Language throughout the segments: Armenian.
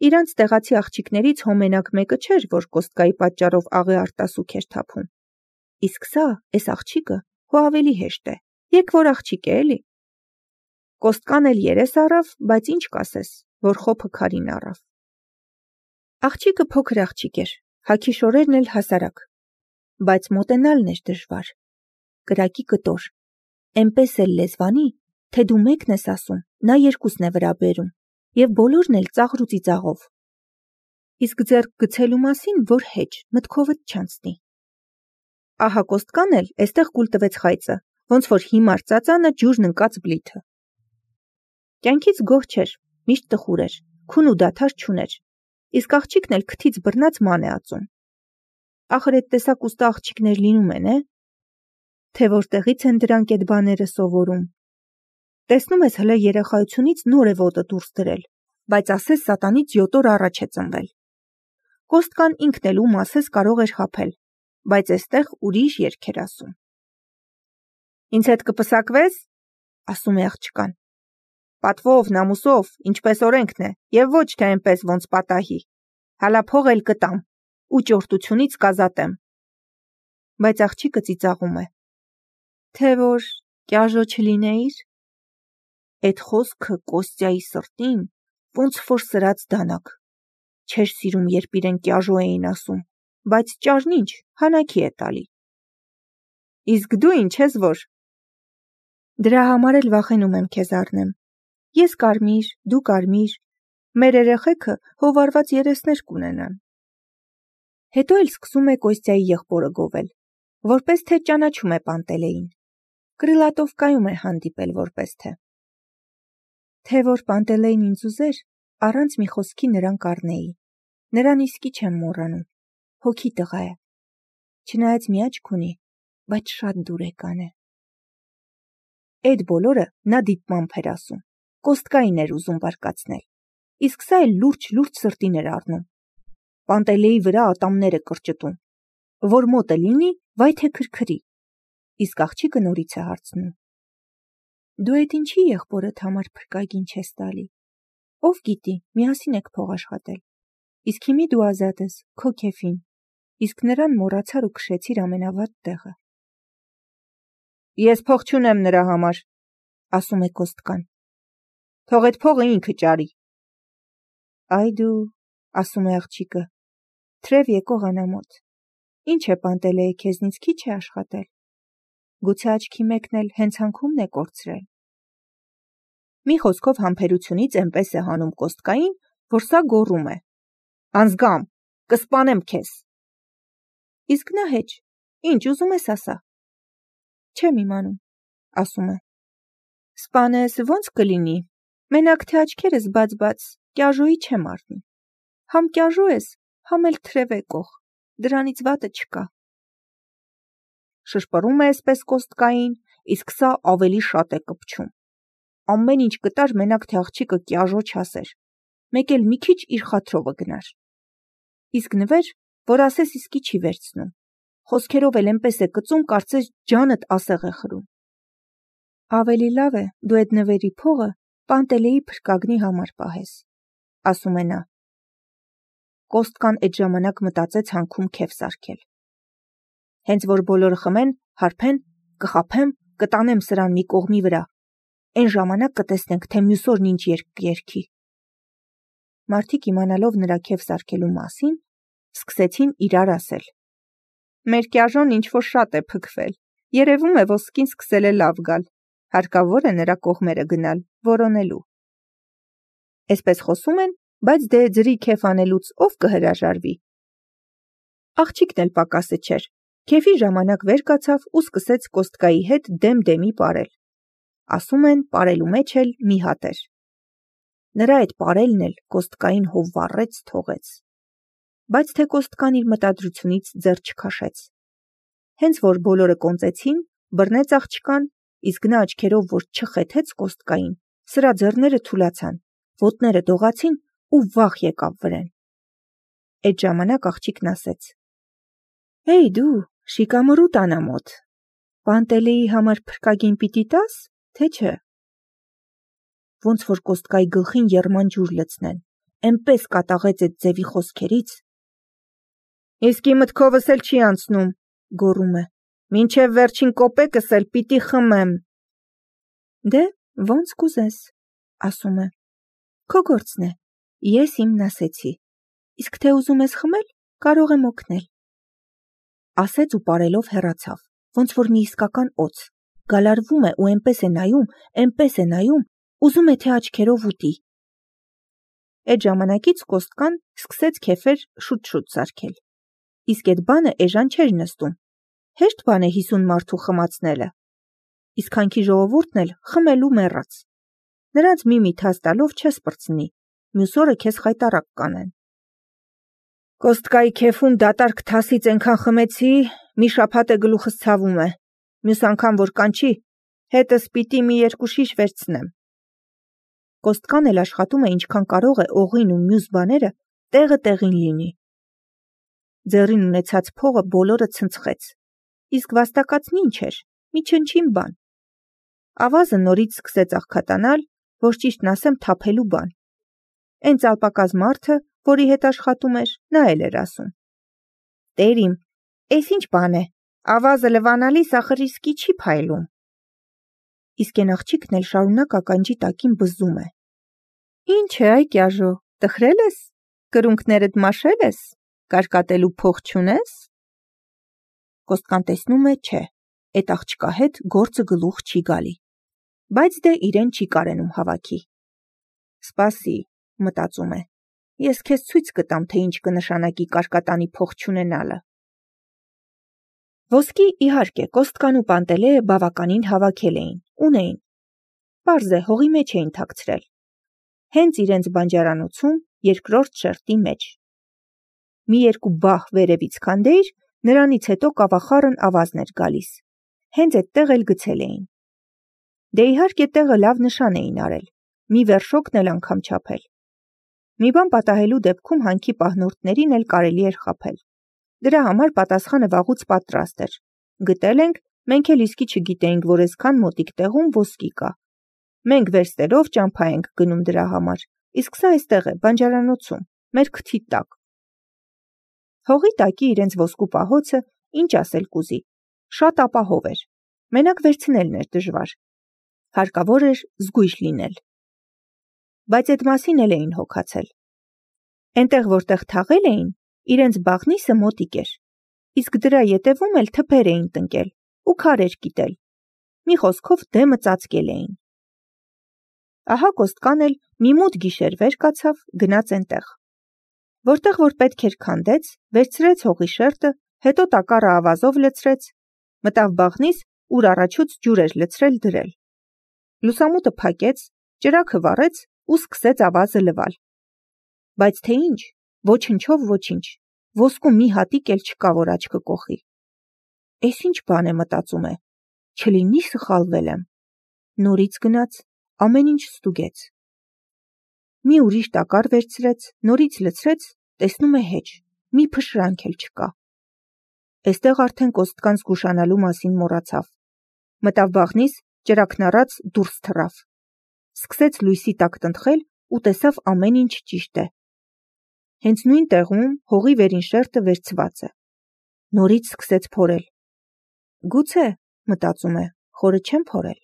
Իրանց տեղացի աղջիկներից հո մենակ մեկը չէր, որ Կոստկայի պատճառով աղի արտասուք էր թափում։ Իսկ սա, էս աղջիկը, հո ավելի հեշտ է, եկ որ աղջիկ է էլի։ Կոստկան էլ երես առավ, բայց ինչ կասես, որ խոփը քարին առավ։ Աղջիկը փոքր աղջիկ էր, հագի շորերն էլ հասարակ, բայց մոտենալն էր դժվար։ Կրակի կտոր, էնպես էլ լեզվանի, թե դու մեկն ես ասում, նա երկուսն է վրա բերում, և բոլորն էլ ծաղր ու ծիծաղով։ Իսկ ձեռք գցելու մասին, որ հեչ, մտքովդ չանցնի։ Ահա Կոստկան էլ էստեղ կուլ տվեց խայծը, ոնց որ հիմար ծածանը ջուրն ընկած բլիթը։ Կյանքից գոհ չէր, միշտ տխուր էր, քուն ու դադար չուներ, իսկ աղջիկն էլ քթից բռնած ման է ածում։ Ախր էդ տեսակ ուստա աղջիկներ լինում են, թե որտեղից են դրանք էդ բաները սովորում։ Տեսնում ես հլը երեխայությունից նոր է ոտը դուրս դրել, բայց ասես սատանից 7 օր առաջ է ծնվել։ Կոստկան ինքն էլ ում ասես կարող էր խաբել, բայց էստեղ ուրիշ երգ էր ասում։ Ինձ հետ կպսակվես, ասում է աղջկան։ Պատվով, նամուսով, ինչպես օրենքն է, և ոչ թե այնպես ոնց պատահի։ Հալա փող էլ կտամ, ու ճորտությունից կազատեմ։ Բայց աղջիկը ծիծաղում է։ Թե որ կյաժո չլինեիր։ Էդ խոսքը Կոստյայի սրտին ոնց որ սրած դանակ։ Չէր սիրում, երբ իրեն կյաժո էին ասում, բայց ճարն ինչ, հանակի է տալի։ Իսկ դու ինչ ես որ։ Դրա համար էլ վախենում եմ քեզ առնեմ։ Ես կարմիր, դու կարմիր, մեր երեխեքը հովարված երեսներ կունենան։ Հետո էլ սկսում է Կոստյայի եղբորը գովել, որպես թե ճանաչում է Պանտելեին։ Կրիլատովկայում է հանդիպել որպես թե։ Թե որ Պանտելեին ինձ ուզեր, առանց մի խոսքի նրան կառնեի։ Նրան իսկի չեմ մոռանում, հոգի տղա է։ Չնայած մի աչք ունի, բայց շատ դուրեկան է։ Էդ բոլորը նա դիտմամբ էր ասում, Կոստկային էր ուզում բարկացնել, իսկ սա էլ լուրջ սրտին էր առնում։ Պանտելեի վրա ատամները կրճտում, որ մոտը լինի, վայ թե քրքրի, իսկ աղջիկը նորից է հարցնում. Դու էդ ինչի եղբորդ համար փրկագին չես տալի, ով գիտի, միասին եք փող աշխատել, իսկ հիմի դու ազատ ես, քո քեֆին, իսկ նրան մոռացար ու քշեցիր ամենավատ տեղը։ Ես փող չունեմ նրա համար, ասում է Կոստկան։ Թող էդ փողը ինքը ճարի։ Այ դու, ասում է աղջիկը, թրև եկող անամոթ, ինչ է Պանտելեի քեզնից քիչ է աշխատել։ Գուցե աչքի մեկն էլ հենց հանքումն է կորցրել։ Մի խոսքով համբերությունից էնպես է հանում Կոստկային, որ սա գոռում է. Անզգամ, կսպանեմ քեզ։ Իսկ նա հեչ, ինչ ուզում ես ասա։ Չեմ իմանում, ասում է։ Սպանես ոնց կլինի, մենակ թե աչքերս բաց, կյաժոյի չեմ առնի։ Համ կյաժո ես, համ էլ թրև եկող, դրանից վատը չկա։ Շշպռում է այսպես Կոստկային, իսկ սա ավելի շատ է կպչում։ Ամեն ինչ կտար մենակ թե աղջիկը կյաժո չասեր, մեկ էլ մի քիչ իր խաթրովը գնար։ Իսկ նվեր, որ ասես իսկի չի վերցնում, խոսքերով էլ էնպես է կծում, կարծես ջանդ ասեղ է խրում։ Ավելի լավ է դու այդ նվերի փողը Պանտելեի փրկագնի համար պահես, ասում է նա։ Կոստկան այդ ժամանակ մտածեց հանքում քեֆ սարքել։ Հենց որ բոլորը խմեն, հարբեն, կխաբեմ, կտանեմ սրան մի կողմի վրա։ Այն ժամանակ կտեսնենք, թե մյուս օրն ինչ երգ կերգի։ Մարդիկ իմանալով նրա քեֆ սարքելու մասին, սկսեցին իրար ասել. Մեր կյաժոն ինչ որ շատ է փքվել, երևում է ոսկին սկսել է լավ գալ, հարկավոր է նրա կողմերը գնալ, որոնելու։ Այսպես խոսում են, բայց դե ձրի քեֆ անելուց ով կհրաժարվի։ Աղջիկն էլ պակասը չէր, քեֆի ժամանակ վեր կացավ ու սկսեց Կոստկայի հետ դեմ-դեմի պարել։ Ասում են, պարելու մեջ էլ մի հատ էր։ Նրա այդ պարելն էլ Կոստկային հով վառեց թողեց։ Բայց թե Կոստկան իր մտադրությունից ձեռ չքաշեց։ Հենց որ բոլորը կոնծեցին, բռնեց աղջկան, իսկ նա աչքերով որ չխեթեց Կոստկային, սրա ձեռները թուլացան, ոտները դողացին ու վախ եկավ վրեն։ Այդ ժամանակ աղջիկն ասեց. Հեյ դու, շիկամռուտ անամոթ, Պանտելեի համար փրկագին պիտի տաս, թե չէ։ Ոնց որ Կոստկայի գլխին եռման ջուր լցնեն, էնպես կատաղեց այդ ձևի խոսքերից։ Իսկի մտքովս էլ չի անցնում, գոռում է, մինչև վերջին կոպեկս էլ պիտի խմեմ։ Դե, ոնց կուզես, ասում է, քո գործն է, ես իմն ասեցի, իսկ թե ուզում ես խմել, կարող եմ օգնել։ Ասեց ու պարելով հեռացավ, ոնց որ մի իսկական օձ, գալարվում է ու էնպես է նայում, ուզում է թե աչքերով ուտի։ Այդ ժամանակից Կոստկան սկսեց քեֆեր շուտ-շուտ սարքել։ Իսկ այդ բանը էժան չէր նստում։ Հեշտ բան է 50 մարդու խմացնելը։ Իսկ հանքի ժողովուրդն էլ խմելու մեռած։ Նրանց մի թաս տալով չես պրծնի, մյուս օրը քեզ խայտառակ կանեն։ Կոստկայի քեֆում դատարկ թասից այնքան խմեցի, մի շաբաթ է գլուխս ցավում է։ Մյուս անգամ որ կանչի, հետս պիտի մի 2 շիշ վերցնեմ։ Կոստկան էլ աշխատում է ինչքան կարող է օղին ու մյուս բաները տեղը տեղին լինի։ Ձեռին ունեցած փողը բոլորը ցնցեց, իսկ վաստակածն ինչ էր, մի չնչին բան։ Ավազը նորից սկսեց աղքատանալ, որ ճիշտն ասեմ թափելու բան։ Այն ծալպակազ մարդը, որի հետ աշխատում էր, նա էլ էր ասում. Տեր իմ, էս ինչ բան է, ավազը լվանալիս ախր իսկի չի փայլում։ Իսկ այն աղջիկն էլ շարունակ ականջի տակին բզում է. Ինչ է այ կյաժո, տխրել ես, կրունկներդ մաշել ես, կարկատելու փող չունես։ Կոստկան տեսնում է, չէ, այդ աղջկա հետ գործը գլուխ չի գալի, բայց դե իրեն չի կարենում հավաքի։ Սպասի, մտածում է, ես քեզ ցույց կտամ, թե ինչ կնշանակի կարկատանի փող չունենալը։ Ոսկի իհարկե Կոստկան ու Պանտելեը բավականին հավաքել էին, ունեին։ Պարզ է, հողի մեջ էին թաքցրել։ Հենց իրենց բանջարանոցում երկրորդ շերտի մեջ։ Մի 2 բահ վերևից քանդեիր, նրանից հետո կավախառն ավազն էր գալիս։ Հենց այդտեղ էլ գցել էին։ Դե իհարկե տեղը լավ նշան էին արել, մի վերշոկն էլ անգամ չափել։ Մի բան պատահելու դեպքում հանքի պահնորդներին էլ կարելի էր խաբել։ Դրա համար պատասխանը վաղուց պատրաստ էր։ Գտել ենք, մենք էլ իսկի չգիտեինք, որ այսքան մոտիկ տեղում ոսկի կա։ Մենք վերստերով ճամփա ենք գնում դրա համար, իսկ սա այստեղ է, բանջարանոցում, մեր քթի տակ։ Հողի տակի իրենց ոսկու պահոցը, ինչ ասել կուզի, շատ ապահով էր, մենակ վերցնելն էր դժվար, հարկավոր էր զգույշ լինել։ Բայց այդ մասին էլ էին հոգացել։ Այնտեղ, որտեղ թաղել էին, իրենց բաղնիսը մոտիկ էր, իսկ դրա ետևում էլ թփեր էին տնկել ու քարեր կիտել, մի խոսքով դեմը ծածկել էին։ Ահա Կոստկան էլ մի մութ գիշեր վեր կացավ, գնաց այնտեղ։ Որտեղ որ պետք էր քանդեց, վերցրեց հողի շերտը, հետո տակառը ավազով լցրեց, մտավ բաղնիս, ուր առաջուց ջուր էր լցրել դրել։ Լուսամուտը փակեց, ճրագը վառեց ու սկսեց ավազը լվալ։ Բայց թե ինչ, ոչնչով ոչինչ, ոսկու մի հատիկ էլ չկա, որ աչքը կոխի։ Էս ինչ բան է, մտածում է, չլինի սխալվել եմ։ Նորից գնաց, ամեն ինչ ստուգեց։ Մի ուրիշ տակառ վերցրեց, նորից լցրեց, տեսնում է հեչ, մի փշրանք էլ չկա։ Այստեղ արդեն Կոստկան զգուշանալու մասին մոռացավ։ Մտավ բաղնիս, ճրագն առած դուրս թռավ։ Սկսեց լույսի տակ տնտղել ու տեսավ ամեն ինչ ճիշտ է։ Հենց նույն տեղում հողի վերին շերտը վերցված է։ Նորից սկսեց փորել։ Գուցե, մտածում է, խորը չեմ փորել։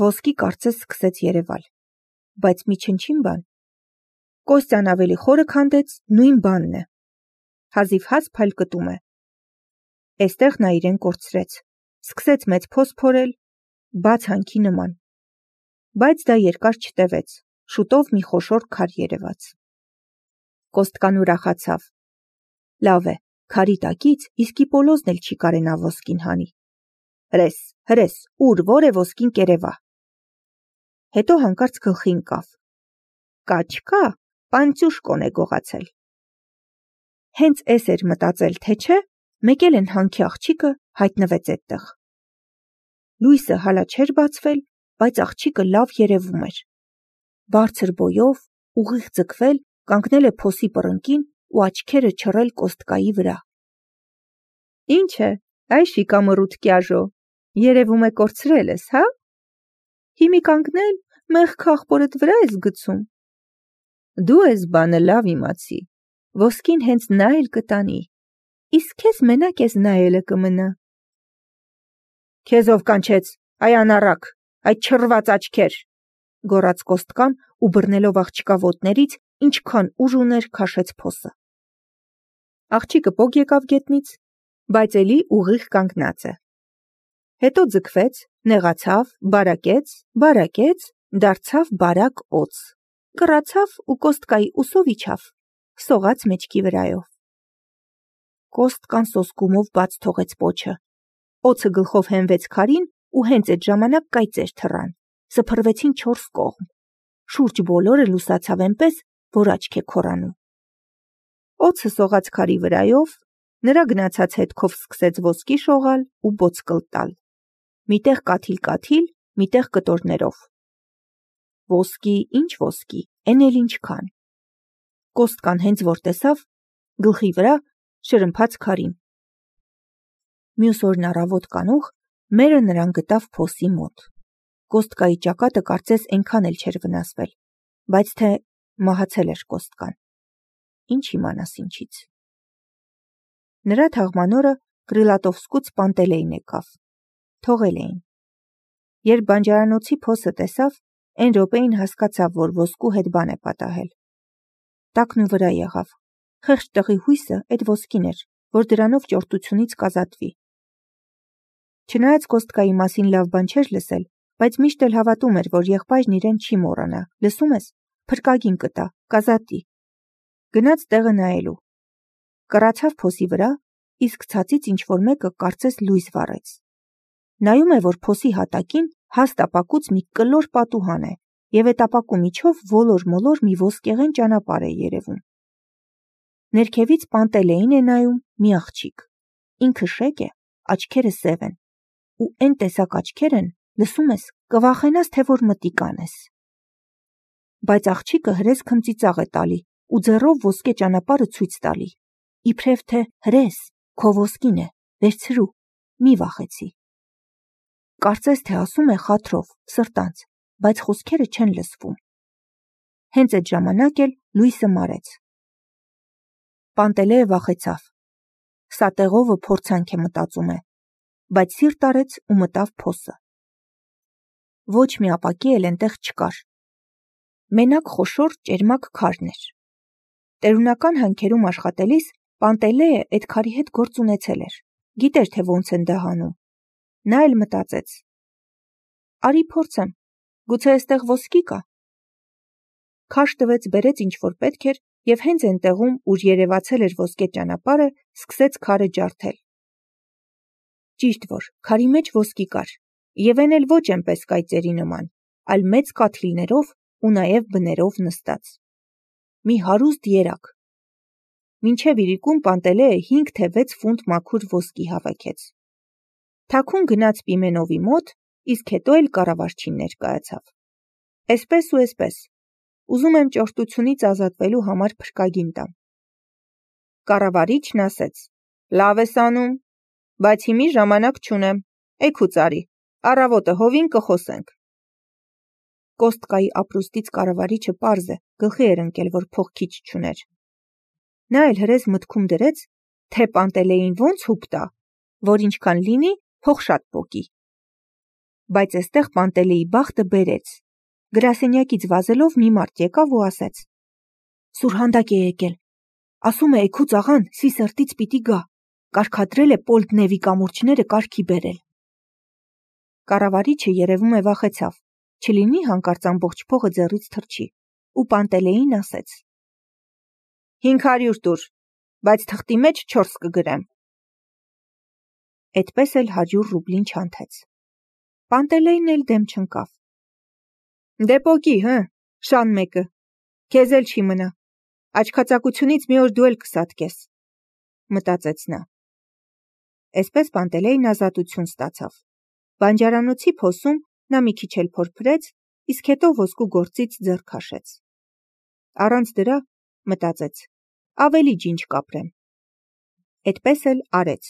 Ոսկի կարծես սկսեց երևալ, բայց մի չնչին բան։ Կոստյան ավելի խորը քանդեց, նույն բանն է։ Հազիվ հաց փայլկտում է։ Այստեղ նա իրեն կորցրեց, սկսեց մեծ փոս փորել, բաց հանքի նման։ Բայց դա երկար չտևեց, շուտով մի խոշոր քար երևաց։ Կոստկան ուրախացավ։ Լավ է, քարի տակից իսկի պոլոզն էլ չի կարենա ոսկին հանի։ Հրես, ուր, որ է ոսկին կերևա։ Հետո հանկարծ գլխի ընկավ։ Կա, պանցյուշկոն է գողացել։ Հենց էս էր մտածել, թե չէ, մեկ էլ են հանքի աղջիկը հայտնվեց այդտեղ։ Լույսը հալա չէր բացվել, բայց աղջիկը լավ երևում էր։ Բարձր բոյով, ուղիղ ձգվել, կանգնել է փոսի պռնկին ու աչքերը չռել Կոստկայի վրա։ Ինչ է, այ շիկամռութ կյաժո, երևում է կորցրել ես, հա։ Հիմի կանգնել, մեղք ախպորդ վրա ես գցում։ Դու ես բանը լավ իմացի, ոսկին հենց նա էլ կտանի, իսկ քեզ մենակ ես նայելը կմնա։ Քեզ ով կանչեց, այ անառակ, այդ չռված աչքեր, գոռաց Կոստկան ու բռնելով աղջկա ոտներից, ինչքան ուժ ուներ քաշեց փոսը։ Աղջիկը պոկ եկավ գետնից, բայց էլի ուղիղ կանգնած է։ Հետո ձգվեց, նեղացավ, բարակեց, դարձավ բարակ օձ, կռացավ ու Կոստկայի ուսով իջավ, սողաց մեջքի վրայով։ Կոստկան սոսկումով բաց թողեց պոչը, օձը գլխով հենվեց քարին ու հենց այդ ժամանակ կայծեր թռան, սփռվեցին 4 կողմ, շուրջ բոլորը լուսացավ այնպես, որ աչք է քորանում։ Օձը սողաց քարի վրայով, նրա գնացած հետքով սկսեց ոսկի շողալ ու բոցկլ տալ, միտեղ կաթիլ, միտեղ կտորներով։ Ոսկի, ինչ ոսկի, էն էլ ինչքան։ Կոստկան հենց որ տեսավ, գլխի վրա շրմփաց քարին։ Մյուս օրն առավոտ կանուխ մերը նրան գտավ փոսի մոտ։ Կոստկայի ճակատը կարծես այնքան էլ չէր վնասվել, բայց թե մահացել էր Կոստկան։ Ինչ իմանաս ինչից։ Նրա թաղման օրը Կրիլատովսկուց Պանտելեին եկավ։ Թողել էին։ Երբ բանջարանոցի փոսը տեսավ, այն րոպեին հասկացավ, որ ոսկու հետ բան է պատահել։ Տակն ու վրա եղավ։ Խեղճ տղի հույսը այդ ոսկին էր, որ դրանով ճորտությունից կազատվի։ Չնայած Կոստկայի մասին լավ բան չէր լսել, բայց միշտ էլ հավատում էր, որ եղբայրն իրեն չի մոռանա, լսում ես, փրկագին կտա, կազատի։ Գնաց տեղը նայելու։ Կռացավ փոսի վրա, իսկ ցածից ինչ-որ մեկը կարծես լույս վառեց։ Նայում է, որ փոսի հատակին հաստ ապակուց մի կլոր պատուհան է, և այդ ապակու միջով ոլոր-մոլոր մի ոսկեղեն ճանապարհ է երևում։ Ներքևից Պանտելեին է նայում մի աղջիկ։ Ինքը շեկ է, աչքերը սև են, ու այն տեսակ աչքեր են, լսում ես, կվախենաս, թե որ մտիկ անես։ Բայց աղջիկը հրես քմծիծաղ է տալի ու ձեռով ոսկե ճանապարհը ցույց տալի։ Իբրև թե հրես, քո ոսկին է, վերցրու, մի վախեցի։ Կարծես թե ասում է խաթրով, սրտանց, բայց խոսքերը չեն լսվում։ Հենց այդ ժամանակ էլ լույսը մարեց։ Պանտելեը վախեցավ։ Սա տեղովը փորձանք է, մտածում է, բայց սիրտ արեց ու մտավ փոսը։ Ոչ մի ապակի էլ այնտեղ չկար։ Մենակ խոշոր ճերմակ քարն էր։ Տերունական հանքերում աշխատելիս Պանտելեը այդ քարի հետ գործ ունեցել էր, գիտեր, թե ոնց են դա հանում։ Նա էլ մտածեց. արի փորձեմ, գուցե այստեղ ոսկի կա։ Քաշ տվեց, բերեց ինչ որ պետք էր և հենց այն տեղում, ուր երևացել էր ոսկե ճանապարհը, սկսեց քարը ջարդել։ Ճիշտ որ, քարի մեջ ոսկի կար, և այն էլ ոչ այնպես կայծերի նման, այլ մեծ կաթիլներով ու նաև բներով նստած։ Մի հարուստ երակ։ Մինչև իրիկուն Պանտելեը 5 թե 6 ֆունտ մաքուր ոսկի հավաքեց։ Թաքուն գնաց Պիմենովի մոտ, իսկ հետո էլ կառավարչին ներկայացավ։ Էսպես ու էսպես, ուզում եմ ճորտությունից ազատվելու համար փրկագին տամ։ Կառավարիչն ասեց. լավ ես անում, բայց հիմի ժամանակ չունեմ, էգուց արի, առավոտը հովին կխոսենք։ Կոստկայի ապրուստից կառավարիչը պարզ է, գլխի էր ընկել, որ փող քիչ չուներ։ Նա էլ հրես մտքում դրեց, թե Պանտելեին ոնց հուպ տա, որ ինչքան լինի, փող շատ պոկի։ Բայց այստեղ Պանտելեի բախտը բերեց։ Գրասենյակից վազելով մի մարդ եկավ ու ասեց. Սուրհանդակ է եկել, ասում է էգուց աղան սի սրտից պիտի գա, կարգադրել է Պոլտնևի կամուրջները կարգի բերել։ Կառավարիչը երևում է վախեցավ, չլինի հանկարծ ամբողջ փողը ձեռից թռչի, ու Պանտելեին ասեց. 500 տուր, բայց թղթի մեջ 4 կգրեմ։ Էդպես էլ 100 ռուբլին չանթեց։ Պանտելեին էլ դեմ չընկավ։ Դե պոկի, հը, շան մեկը, քեզ էլ չի մնա, աչքածակությունից մի օր դու էլ կսատկես, մտածեց նա։ Էսպես Պանտելեին ազատություն ստացավ։ Բանջարանոցի փոսում նա մի քիչ էլ փորփրեց, իսկ հետո ոսկու գործից ձեռ քաշեց։ Առանց դրա, մտածեց, ավելի ջինջ կապրեմ։ Էդպես էլ արեց։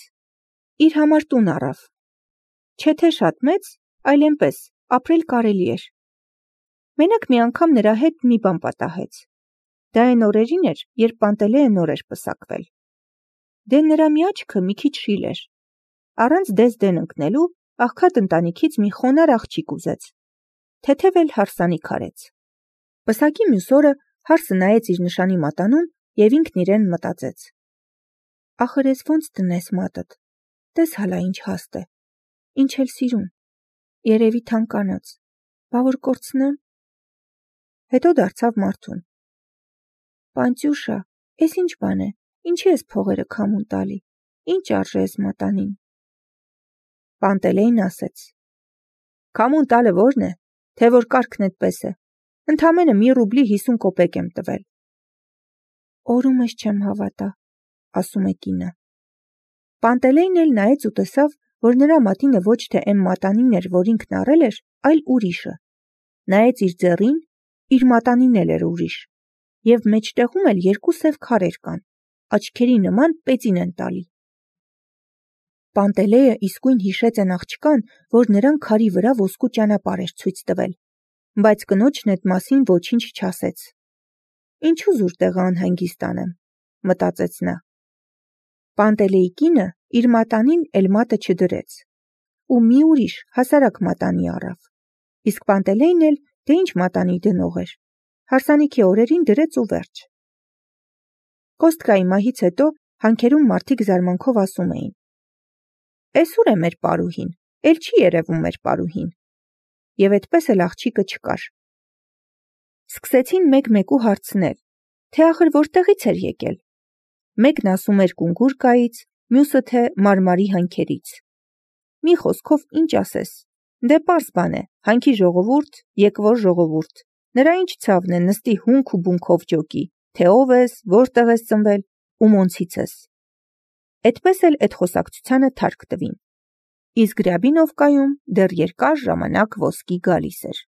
Իր համար տուն առավ։ Չէ թե շատ մեծ, այլ այնպես, ապրել կարելի էր։ Մենակ մի անգամ նրա հետ մի բան պատահեց։ Դա այն օրերին էր, երբ Պանտելեը նոր էր պսակվել։ Դե նրա մի աչքը մի քիչ շիլ էր։ Առանց դես-դեն ընկնելու աղքատ ընտանիքից մի խոնար աղջիկ ուզեց։ Թեթև էլ հարսանիք արեց։ Պսակի մյուս օրը հարսը նայեց իր նշանի մատանուն և ինքն իրեն մտածեց. ախր ես ոնց տնես մատդ, տես հալա ինչ հաստ է, ինչ էլ սիրուն, երևի թանկանոց, բա որ կորցնեմ։ Հետո դարձավ մարդուն. Պանծյուշա, ես ինչ բան է, ինչի ես փողերը քամուն տալի, ինչ արժե ես մատանին։ Պանտելեին ասեց. քամուն տալը որն է, թե որ կարգն էդպես է, ընդամենը 1 ռուբլի 50 կոպեկ եմ տվել։ Օրումս չեմ հավատա, ասում է կինը։ Պանտելեին էլ նայեց ու տեսավ, որ նրա մատինը ոչ թե էն մատանին էր, որ ինքն առել էր, այլ ուրիշը։ Նայեց իր ձեռին, իր մատանին էլ էր ուրիշ, և մեջտեղում էլ 2 սև քարեր կան, աչքերի նման պեծին են տալի։ Պանտելեը իսկույն հիշեց այն աղջկան, որ նրան քարի վրա ոսկու ճանապարհ էր ցույց տվել, բայց կնոջն էդ մասին ոչինչ չասեց։ Ինչու զուր տեղը անհանգիստ անեմ, մտածեց նա։ Պանտելեի կինը իր մատանին էլ մատը չդրեց, ու մի ուրիշ հասարակ մատանի առավ, իսկ Պանտելեին էլ դե ինչ մատանի դնող էր, հարսանիքի օրերին դրեց ու վերջ։ Կոստկայի մահից հետո հանքերում մարդիկ զարմանքով ասում էին. Էս ուր է մեր պարուհին, էլ չի երևում մեր պարուհին։ Եվ այդպես էլ աղջիկը չկար։ Սկսեցին մեկ-մեկու հարցնել, թե ախր որտեղից էր եկել։ Մեկն ասում էր Կունգուրկայից, մյուսը թե Մարմարի հանքերից։ Մի խոսքով ինչ ասես, դե պարզ բան է, հանքի ժողովուրդ, եկվոր ժողովուրդ, նրա ինչ ցավն է նստի հունք ու բունքով ջոկի, թե ով ես, որտեղ ես ծնվել, ումոնցից ես։ Էդպես էլ էդ խոսակցությանը թարք տվին։ Իսկ Ռյաբինովկայում դեռ երկար ժամանակ ոսկի գալիս էր։